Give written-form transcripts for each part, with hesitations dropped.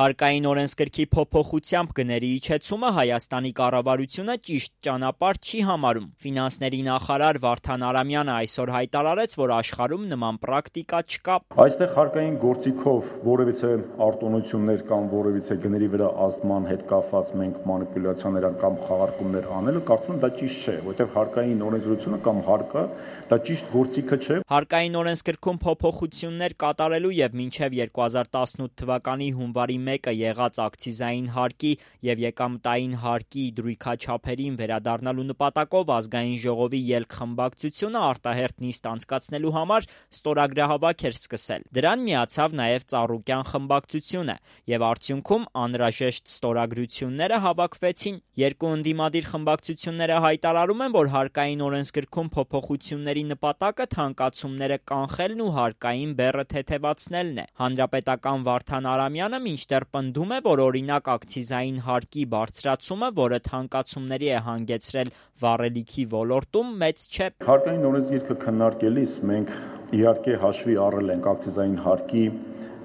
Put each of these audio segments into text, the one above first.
Հարկային օրենսգրքի փոփոխությամբ գների իջեցումը Հայաստանի կառավարությունը ճիշտ ճանապարհ չի համարում։ Ֆինանսների նախարար Վարդան Արամյանը այսօր հայտարարեց, որ աշխարհում նման պրակտիկա չկա։ Այստեղ հարկային գործիքով որևիցե արտոնություններ կամ որևիցե գների վրա ազդման հետ կապված մենք մանիպուլյացիաներ կամ խաղարկումներ անելը կարծում եմ դա ճիշտ չէ, որովհետև հարկային օրենսդրությունը կամ հարկը դա ճիշտ գործիքը չէ։ Հարկային օրենսգրքում փոփոխություններ կատարելու եւ մինչեւ 2018 թվականի հունվարի 1-ը եղած ակցիզային հարկի եւ եկամտային հարկի դրույքաչափերին վերադառնալու նպատակով ազգային ժողովի ելք խմբակցությունը արտահերթ նիստ անցկացնելու համար ստորագրահավաք էր սկսել։ Դրան միացավ նաեւ Ծառուկյան խմբակցությունը եւ արդյունքում անհրաժեշտ ստորագրությունները հավաքվեցին։ Երկու ընդդիմադիր խմբակցությունները հայտարարում են, որ հարկային օրենսգրքում փոփոխությունների նպատակը թանկացումները կանխելն ու հարկային բեռը թեթևացնելն է։ Հանրապետական Վարդան Արամյանը մինչդեռ պնդում է, որ օրինակ ակցիզային հարկի բարձրացումը, որը թանկացումների է հանգեցրել վառելիքի ոլորտում, մեծ չէ։ Հարկային օրենսգիրքը քննարկելիս մենք իհարկե հաշվի առել ենք ակցիզային հարկի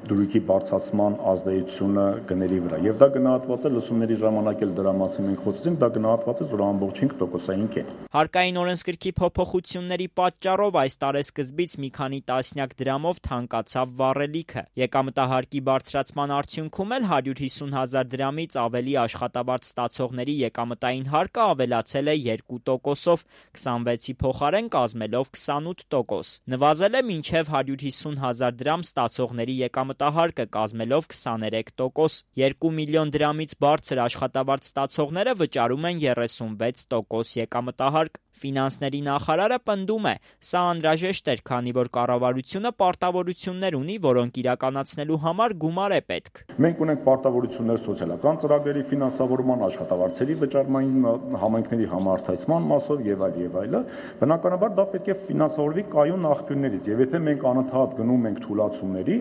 դրույքի բարձրացման ազդեցությունը գների վրա։ Եվ դա գնահատված է լսումների ժամանակ էլ դրա մասին մենք խոսեցինք, դա գնահատված է, որ ամբողջ 5%-ային է։ Հարկային օրենսգրքի փոփոխությունների պատճառով այս տարեսկզբից մի քանի տասնյակ դրամով թանկացավ վառելիքը։ Եկամտահարկի բարձրացման արդյունքում էլ 150,000 դրամից ավելի աշխատավարձ ստացողների եկամտային հարկը ավելացել է 2%-ով, 26-ի փոխարեն կազմելով 28%։ Նվազել է մինչև 150,000 դրամ ստացողների եկամտահարկը կազմելով 23%։ 2 միլիոն դրամից բարձր աշխատավարձ ստացողները վճարում են 36% եկամտահարկ։ Ֆինանսների նախարարը պնդում է, սա անհրաժեշտ էր, քանի որ կառավարությունը պարտավորություններ ունի, որոնք իրականացնելու համար գումար է պետք։ Մենք ունենք պարտավորություններ սոցիալական ծրագրերի ֆինանսավորման, աշխատավարձերի վճարման, համայնքների համարտադրման մասով եւ այլը, բնականաբար դա պետք է ֆինանսավորվի կայուն աղբյուրներից։ Եվ եթե մենք անընդհատ գնում ենք թուլացումների,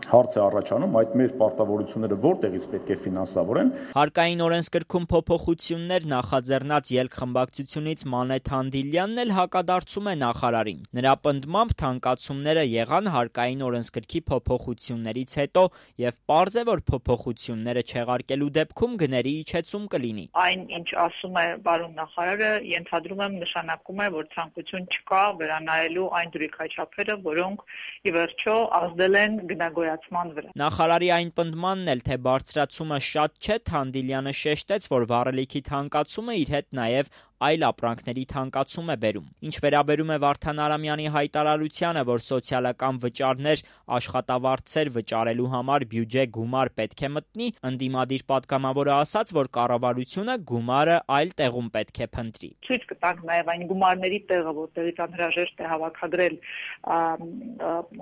հարց է առաջանում, այդ մեր պարտավորությունները որտեղից պետք է ֆինանսավորեն։ Հարկային օրենսգրքում փոփոխություններ նախաձեռնած ելք խմբակցությունից Մանե Թանդիլյանն էլ հակադարձում է նախարարին։ Նրա պնդմամբ թանկացումները եղան հարկային օրենսգրքի փոփոխություններից հետո եւ պարզ է, որ փոփոխությունները չեղարկելու դեպքում գների իջեցում կլինի։ Այն, ինչ ասում է պարոն նախարարը, ենթադրում եմ նշանակում է, որ ցանկություն չկա վերանայելու այն դրույքաչափերը, որոնք ի վերջո ազդել են գնագոյացման վրա։ Նախարարի այն պնդմանն էլ, թե բարձրացումը շատ չէ, Թանդիլյանը շեշտեց, որ վառելիքի թանկացումը իր հետ նաև այլ ապրանքների թանկացում է բերում։ Ինչ վերաբերում է Վարդան Արամյանի հայտարարությանը, որ սոցիալական վճարներ, աշխատավարձեր վճարելու համար բյուջե գումար պետք է մտնի, ընդդիմադիր պատգամավորը ասաց, որ կառավարությունը գումարը այլ տեղում պետք է փնտրի։ Ցույց կտանք նաև այն գումարների տեղը, որտեղից անհրաժեշտ է հավաքագրել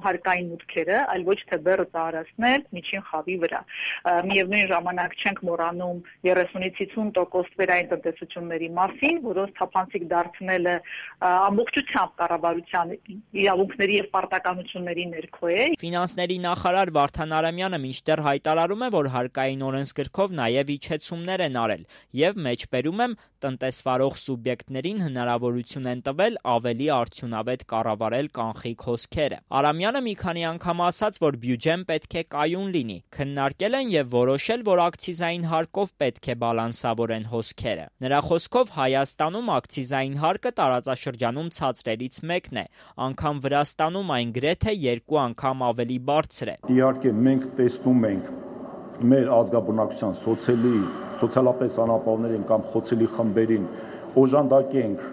հարկային մուտքերը, այլ ոչ թե բեռը ծառացնել միջին խավի վրա։ Միևնույն ժամանակ չենք մոռանում 30-ից 50% վերային տնտեսությունների մասին, որոնց թափանցիկ դարձնելը ամբողջությամբ կառավարության իրավունքների եւ պարտականությունների ներքո է։ Ֆինանսների նախարար Վարդան Արամյանը մինչդեռ հայտարարում է, որ հարկային օրենսգրքով նաեւ իջեցումներ են արել եւ մեջբերում եմ տնտեսվարող սուբյեկտներին հնարավորություն են տվել ավելի արդյունավետ կառավարել կանխիկ հոսքերը։ Արամյանը մի քանի անգամ ասաց, որ բյուջեն պետք է կայուն լինի, քննարկել են եւ որոշել, որ ակցիզային հարկով պետք է բալանսավորեն հոսքերը։ Նրա խոսքով Հայաստանում ակցիզային հարկը տարածաշրջանում ցածրերից մեկն է, անգամ Վրաստանում այն գրեթե 2 անգամ ավելի բարձր է։ Իհարկե մենք տեսնում ենք մեր ազգաբնակության սոցիալապես անապահովներին կամ խոցելի խմբերին օժանդակենք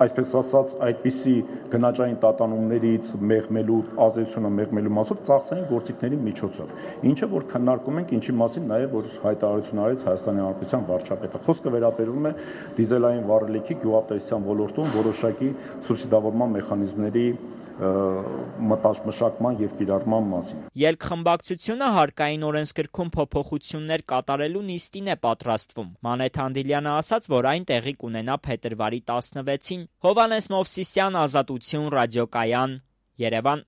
այսպես ասած այդպիսի գնաճային տատանումներից մեղմելու ազդեցությունը մեղմելու մասով ծախսային գործիքների միջոցով, ինչը որ քննարկում ենք, ինչի մասին նաև որ հայտարարություն արեց Հայաստանի Հանրապետության վարչապետը։ Խոսքը վերաբերում է դիզելային վառելիքի գյուղատնտեսության ոլորտում որոշակի սուբսիդավորման մեխանիզմների մշակման եւ կիրառման մասին։ Ելք խմբակցությունը հարկային օրենսգրքում փոփոխություններ կատարելու նիստին է պատրաստվում։ Մանե Թանդիլյանը ասաց, որ այն տեղի կունենա փետրվարի 16-ին։ Հովհաննես Մովսիսյան, Ազատություն, ռադիոկայան, Երևան։